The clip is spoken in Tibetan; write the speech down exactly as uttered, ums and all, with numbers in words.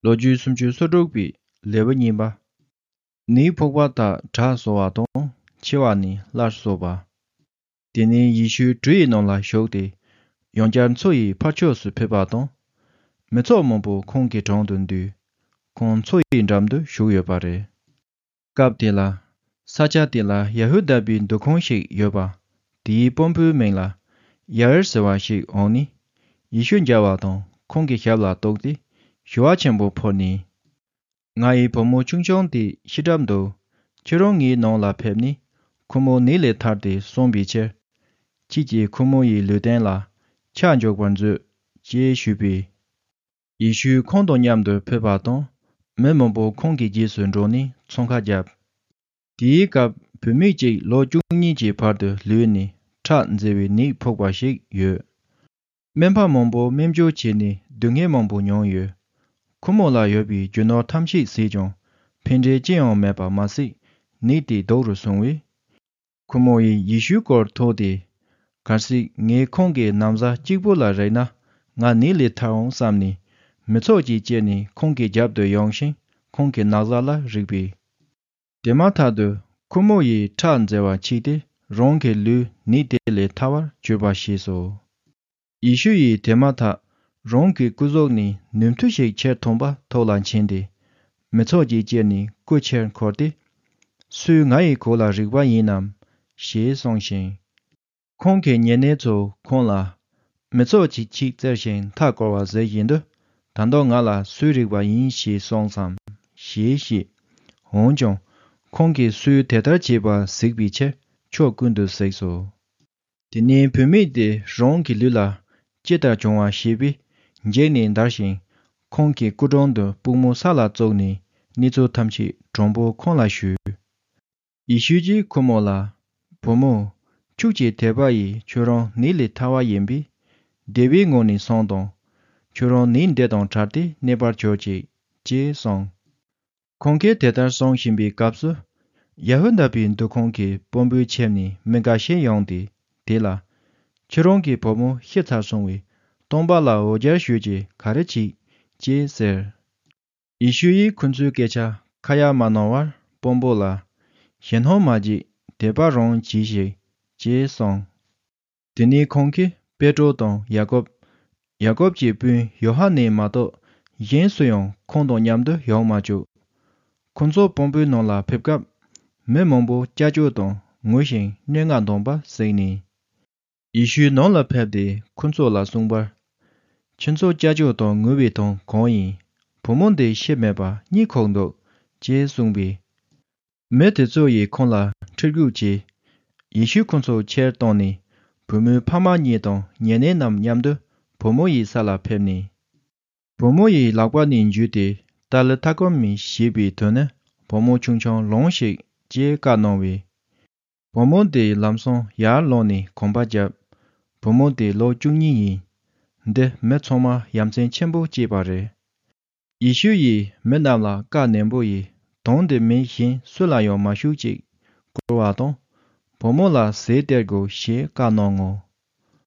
ལོ་རྒྱུས་སུམ་ཅུ་སོ་དྲུག་པའི་ལེའུ་གཉིས་པ། ནད་ཕོག་པ་དག་དྲག་སོང་བ་དང་འཆི་བ་ནི་སླར་གསོ་བ། དེ་ནས་ཡེ་ཤུ་གྲུ་ཡི་ནང་ལ་ཞུགས་ཏེ། ཡང་བསྐྱར་མཚོ་ཡི་ཕར་ཕྱོགས་སུ་ཕེབས་པ་དང་། མི་ཚོགས་མང་པོ་ཁོང་གི་དྲུང་དུ་འདུས། ཁོང་མཚོ་ཡི་འགྲམ་དུ་བཞུགས་ཡོད་པ་རེད། སྐབས་དེ་ལ། ས་ཆ་དེ་ལ་ཡ་ཧུ་དཱ་པའི་འདུ་ཁང་ཞིག་ཡོད་པ། དེའི་དཔོན་པོའི་མིང་ལ་ཡ་ཨིར་ཟེར་བ་ཞིག་འོང་ནས། ཡེ་ཤུ་མཇལ་བ་དང་ཁོང་གི་ཞབས་ལ་གཏུགས་ཏེ། ཞུ་བ་ཆེན་པོ་ཕུལ་ནས། ང་ཡི་བུ་མོ་ཆུང་ཆུང་དེ་ཤི་གྲབས་འདུག་ཁྱེད་རང་ངའི་ནང་ལ་ཕེབས་ནས། ཁོ་མོ་ནད་ལས་ཐར་ཏེ་གསོན་པའི་ཕྱིར། ཁྱེད་ཀྱིས་ཁོ་མོ་ཡི་ལུས་རྟེན་ལ་ཆག་འཇོག་པར་མཛོད། ཅེས་ཞུས་པས། ཡེ་ཤུ་ཁོང་དང་མཉམ་དུ་ཕེབས་པ་དང་། མི་མང་པོ་ཁོང་གི་རྗེས་སུ་འགྲོ་ནས་ཚོང་ཁ་བརྒྱབ། དེའི་སྐབས་བུད་མེད་ཅིག་ལོ་བཅུ་གཉིས་ཀྱི་བར་དུ་ལུས་ནས་ཁྲག་འཛེར་བའི་ནད་ཕོག་པ་ཞིག་ཡོད། སྨན་པ་མང་པོ་སྨན་བཅོས་བྱས་ནས་སྡུག་བསྔལ་མང་པོ་མྱོང་ཡོད། ཁོ་མོ་ལ་ཡོད་པའི་རྒྱུ་ནོར་ཐམས་ཅད་ཟད་ཀྱང་ཕན་འབྲས་ཅི་ཡང་མེད་པ་མ་ཟད། ནད་དེ་སྡུག་རུ་སོང་བས། ཁོ་མོ་ཡིས་ཡེ་ཤུའི་སྐོར་ཐོས་ཏེ། གལ་སྲིད་ངས་ཁོང་གི་ན་བཟའ་གཅིག་པུ་ལ་རེག་ན། ང་ནད་ལས་ཐར་འོང་བསམ་ནས། མི་ཚོགས་ཀྱི་དཀྱིལ་ནས་ཁོང་གི་རྒྱབ་ཏུ་ཡོང་ཞིང་། ཁོང་གི་ན་བཟའ་ལ་རེག་པས། དེ་མ་ཐག་ཏུ་ཁོ་མོ་ཡི་ཁྲག་འཛེར་བ་ཆད་དེ། རང་གི་ལུས་ནད་དེ་ལས་ཐར་བར་གྱུར་པ་ཤེས་སོ། ཡེ་ཤུ་ཡིས་དེ་མ་ཐག་རང་གི་སྐུ་གཟུགས་ནས་ནུས་མཐུ་ཞིག་ཁྱེར་ཐོན་པ་ཐོག་ལ་འཕྱན་ཏེ། མི་ཚོགས་ཀྱི་དཀྱིལ་ནས་སྐུ་ཕྱིར་འཁོར་ཏེ། སུས་ང་ཡི་གོས་ལ་རེག་པ་ཡིན་ནམ། ཞེས་གསུངས་ཤིང་། ཁོང་གི་ཉེ་གནས་ཚོ་ཁོང་ལ། མི་ཚོགས་ཀྱིས་ཁྱེད་བཙལ་ཞིང་མཐའ་བསྐོར་བ་མཛད་བཞིན་དུ། ད་དུང་ང་ལ་སུས་རེག་པ་ཡིན་ཞེས་གསུངས་སམ། ཞེས་བཤད། འོན་ཀྱང་། ཁོང་གིས་སུས་དེ་ལྟར་བྱས་པ་གཟིགས་པའི་ཕྱིར་ཕྱོགས་ཀུན་ཏུ་གཟིགས་སོ། དེ་ནས་བུད་མེད་དེ་རང་གི་ལུས་ལ་ཅི་ལྟར་བྱུང་བ་ཤེས་པས། འཇིགས་ནས་འདར་ཞིང་། ཁོང་གི་སྐུ་དྲུང་དུ་པུས་མོ་ས་ལ་བཙུགས་ནས། གནས་ཚུལ་ཐམས་ཅད་དྲང་པོ་ཁོང་ལ་ཞུས། ཡེ་ཤུ་གྱིས་ཁོ་མོ་ལ། བུ་མོ། ཁྱོད་ཀྱི་དད་པ་ཡིས་ཁྱོད་རང་ནད་ལས་ཐར་བ་ཡིན་པས། བདེ་བའི་ངང་ནས་སོང་དང་། ཁྱོད་རང་ནད་འདི་དང་བྲལ་ཏེ་གནས་པར་གྱུར་ཅིག་ཅེས་གསུངས། ཁོང་གིས་དེ་ལྟར་གསུང་བཞིན་པའི་སྐབས་སུ། ཡ་ཧུ་དཱ་པའི་འདུ་ཁང་གི་དཔོན་པོའི་ཁྱིམ་ནས་མི་འགའ་ཤས་ཡོང་སྟེ། དེ་ལ། ཁྱེད་རང་གི་བུ་མོ་ཤི་ཚར་སོང་བས། སྟོན་པ་ལ་འོ་བརྒྱལ་ཞུས་ཀྱིས་ག་རེ་བྱེད། ཅེས་ཟེར། ཡེ་ཤུ་ཡིས་ཁོ་ཚོའི་སྐད་ཆ་ཁ་ཡ་མ་གནང་བར་དཔོན་པོ་ལ། ཞེད་སྣང་མ་བྱེད། དད་པ་རང་གྱིས་ཤིག་ཅེས་གསུངས། དེ་ནས་ཁོང་གིས་པེ་ཏྲོ་དང་ཡ་ཀོབ། ཡ་ཀོབ་ཀྱི་སྤུན་ཡོ་ཧ་ནན་མ་གཏོགས་གཞན་སུ་ཡང་ཁོང་དང་མཉམ་དུ་ཡོང་མ་བཅུག་ཁོ་ཚོ་དཔོན་པོའི་ནང་ལ་ཕེབས་སྐབས། མི་མང་པོ་སྐྱབས་བཅོལ་དང་ངུ་ཞིང་སྙན་ངག་འདོན་པ་གཟིགས་ནས། ཡེ་ཤུའི་ནང་ལ་ཕེབས་ཏེ་ཁོ་ཚོ་ལ་གསུངས་པར། ཁྱེད་ཚོ་སྐྱབས་བཅོལ་དང་ངུ་བའི་དོན་གང་ཡིན། བུ་མོ་འདི་ཤི་མེད་པར་གཉིད་ཁུག་འདུག་ཅེས་གསུངས་པས། མི་དེ་ཚོ་ཡིས་ཁོང་ལ་ཁྲིད་སྐུལ་བྱས། ཡེ་ཤུ་ཁོ་ཚོ་ཕྱིར་བཏང་ནས། བུ་མོའི་ཕ་མ་གཉིས་དང་ཉེ་གནས་རྣམས་མཉམ་དུ་བུ་མོ་ཡི་ས་ལ་ཕེབས་ནས། བུ་མོ་ཡི་ལག་པ་ནས་འཇུས་ཏེ། ཏཱ་ལི་ཐཱ་ཀུ་མི་ཞེས་པའི་དོན་ནི། བུ་མོ་ཆུང་ཆུང་ལོངས་ཤིག་ཅེས་བཀའ་གནང་བས། བུ་མོ་དེ་ལམ་སང་ཡར་ལངས་ནས་གོམ་པ་བརྒྱབ། བུ་མོ་དེ་ལོ་བཅུ་གཉིས་ཡིན། འདི་མི་ཚང་མར་ཡ་མཚན་ཆེན་པོ་སྐྱེས་པ་རེད། ཡེ་ཤུ་ཡིས་མི་རྣམས་ལ་བཀའ་ནན་པོ་ཡིས། དོན་འདི་མི་གཞན་སུ་ལ་ཡང་མ་ཞུགས་ཅིག་བསྐུར་བ་དང་། བུ་མོ་ལ་ཟས་སྟེར་དགོས་ཞེས་བཀའ་གནང་ངོ་